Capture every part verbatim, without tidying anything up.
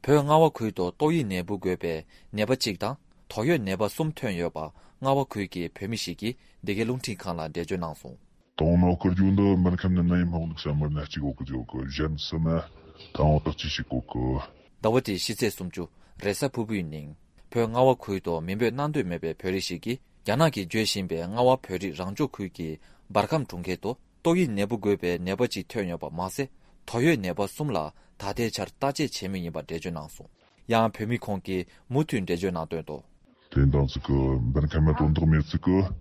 벼nga와 구이도 또이 내부 괴배 내바 찍다 토요 내바 숨퇴 여바 ngawa kuiki pemishiki dege lungti kala dejo nangso. Tono kerjunda mankamna naim hong samar na chigo ko ko jan sama tawo ta chishiko ko. Dawati shise sumju resa pubu ning. Pyo ngawa kuido minbe nandu mebe pyorishiki yanagi jweshinbe ngawa pyori rangjo kuiki barkam tungketo togi nebu gwebe nebaji tyonyoba mase toyo neba sumla dade char taje chemingiba dejo nangso. Yang pyomi kongki mutun dejo nangdo. Tendan스가 benkamet ondermet스가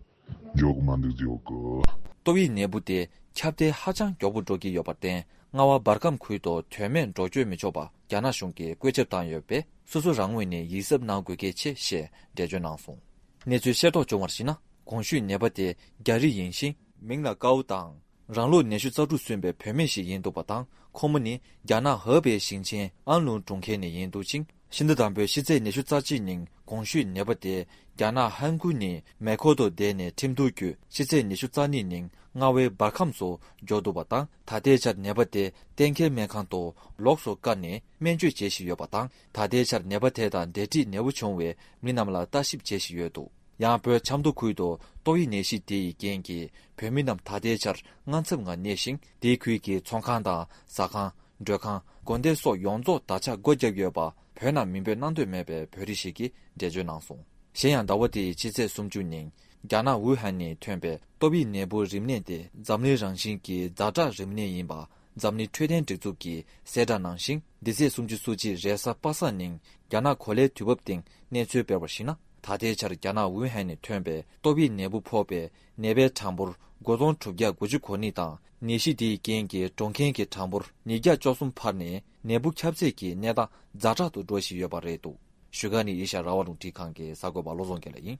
조금만들지오고 또이 내부대 캡대 하장 교부족이 여봤대 ngawa barkam kuido twemen rojwe me joba gyana shungki gwecheptan yobe susu rangwini yisab na gwege che she dejo nangson nezu sheto chongwarsina gongshu nebade gyari yinshin mingla gaudang ranglo neshu zadu sunbe pyemenshi yindu batang komuni gyana hebe xingchen anlu zhongke ne yindu jing 신드담베 시제 내슈 짜지닝 공슈 네버데 야나 한군이 메코도 데네 팀도규 시제 내슈 짜니닝 ngawe barkamso jodobatang tadejar nebate tenke mekanto lokso kanne menju jeshi yobatang tadejar nebate dan deti nebuchongwe minamla taship jeshi yodo 양뼈 참도 구이도 또이 내시 디 gengi 벼민남 tadejar ngansam가 내싱 디퀴기 총칸다 사칸 드칸 건데소 용조 다차 고적여바 변화 민배 난도 매배 별이시기 대전낭송 신양다워디 지제 숨주닝 야나 우한니 퇴배 또비 내부 림네데 잠리 장신기 자자 림네인바 잠니 최된 직주기 세다낭신 디세 숨주 수지 레사 빠사닝 야나 콜레 튜법딩 내주배버시나 다대차르 야나 우한니 퇴배 또비 내부 포배 내배 참불 고동 투기야 고주코니다 니시디 겐게 동켄게 참불 니가 조숨 파네 내부 캡세기 내다 자자도 도시 여바레도 슈가니 이샤 라와룽 티칸게 사고 발로존게레인